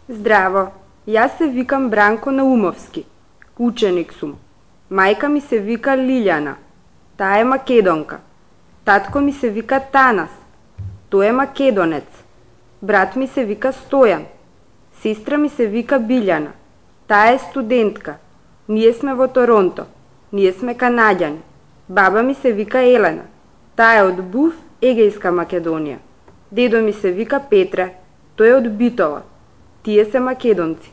Здраво, јас се викам Бранко Наумовски. Ученик сум. Мајка ми се вика Лилјана. Таа е македонка. Татко ми се вика Танас. Тој е македонец. Брат ми се вика Стојан. Сестра ми се вика Билјана. Таа е студентка. Ние сме во Торонто. Ние сме канаѓани. Баба ми се вика Елена. Таа е од Буф, Егејска Македонија. Дедо ми се вика Петре. Тој е од Битола. Тие се македонци.